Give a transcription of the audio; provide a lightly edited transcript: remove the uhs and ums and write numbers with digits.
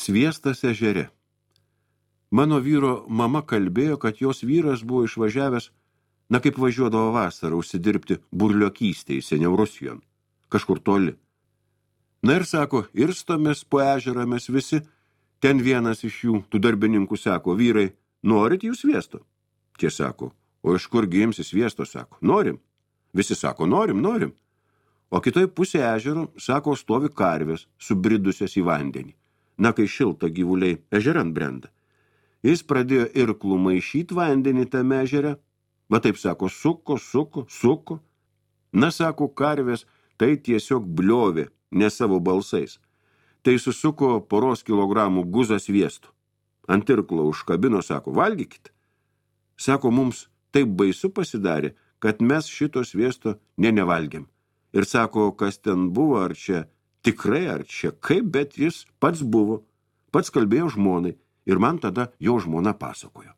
Sviestas ežere. Mano vyro mama kalbėjo, kad jos vyras buvo išvažiavęs, kaip važiuodavo vasarą, užsidirbti burliokystėj seniau Rusijon, kažkur toli. Ir sako, irstomės po ežerą mes visi, ten vienas iš jų, tų darbininkų, sako, vyrai, norit jūs sviesto? Tie sako, o iš kur gimsi sviesto, sako, norim. Visi sako, norim. O kitoj pusė ežero, sako, stovi karvės, subridusios į vandenį. Kai šilta gyvuliai ežerant brenda. Jis pradėjo irklų maišyti vandenį tame ežere. Va taip sako, suko. Sako, karvės, tai tiesiog bliovė, ne savo balsais. Tai susuko poros kilogramų guzą sviesto. Ant irklo užkabino, sako, valgykit. Sako, mums taip baisu pasidarė, kad mes šito sviesto nevalgėm. Ir sako, kas ten buvo, ar čia tikrai, ar čia kaip, bet jis pats buvo. Pats kalbėjo žmonai ir man tada jo žmona pasakojo.